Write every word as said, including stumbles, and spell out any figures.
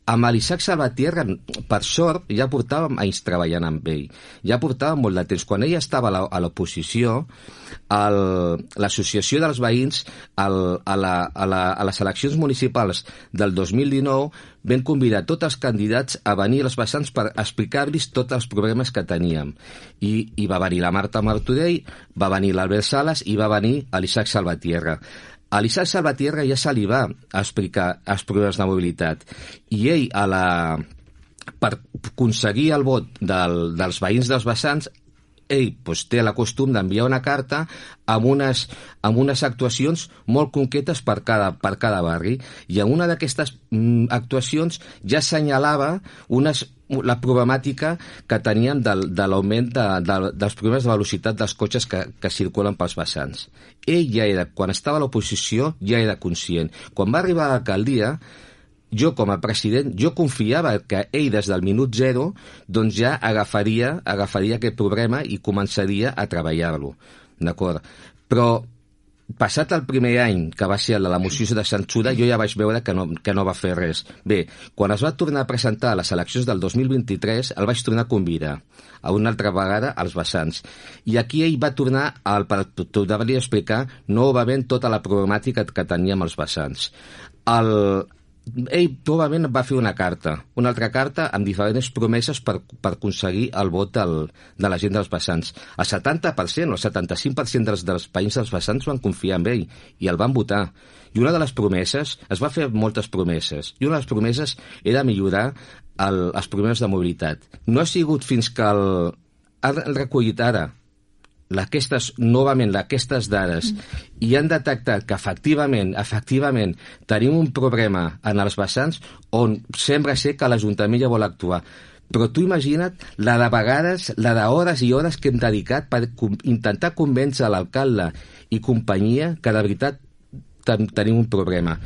Amb l'Isaac Salvatierra, per sort, ja portàvem anys treballant amb ell. Ja portàvem molt de temps. Quan ell estava a l'oposició, l'associació dels veïns el, a, la, a, la, a les eleccions municipals del dos mil dinou vam convidar tots els candidats a venir a les vessants per explicar-los tots els problemes que teníem. I, i va venir la Marta Martorell, va venir l'Albert Sales i va venir l'Isaac Salvatierra. A l'Isaac Salvatierra ja se li va explicar els problemes de mobilitat i ell, a la, per aconseguir el vot del, dels veïns dels vessants, ell doncs, té la costum d'enviar una carta amb unes, amb unes actuacions molt concretes per cada, per cada barri, i en una d'aquestes mm, actuacions ja assenyalava unes, la problemàtica que teníem del, de l'augment de, de, dels problemes de velocitat dels cotxes que, que circulen pels vessants. Ell ja era, quan estava a l'oposició, ja era conscient. Quan va arribar a l'alcaldia, jo com a president, jo confiava que ell des del minut zero doncs ja agafaria, agafaria aquest problema i començaria a treballar-lo, d'acord? Però passat el primer any, que va ser el de la moció de censura, jo ja vaig veure que no, que no va fer res. Bé, quan es va tornar a presentar a les eleccions del dos mil vint-i-tres, el vaig tornar a convidar a una altra vegada als vessants. I aquí ell va tornar al, per tornar-li a explicar novament tota la problemàtica que teníem els vessants. El, ell probablement va fer una carta, una altra carta amb diferents promeses per, per aconseguir el vot del, de la gent dels vessants. El setanta per cent o el setanta-cinc per cent dels, dels veïns dels vessants van confiar en ell i el van votar. I una de les promeses, es va fer moltes promeses, i una de les promeses era millorar el, els problemes de mobilitat. No ha sigut fins que el, han recollit ara aquestes, novament aquestes dades mm. i han detectat que efectivament efectivament tenim un problema en els vessants on sembla ser que l'Ajuntament ja vol actuar. Però tu imagina't la de vegades, la d'hores i hores que hem dedicat per intentar convèncer l'alcalde i companyia que de veritat tenim un problema.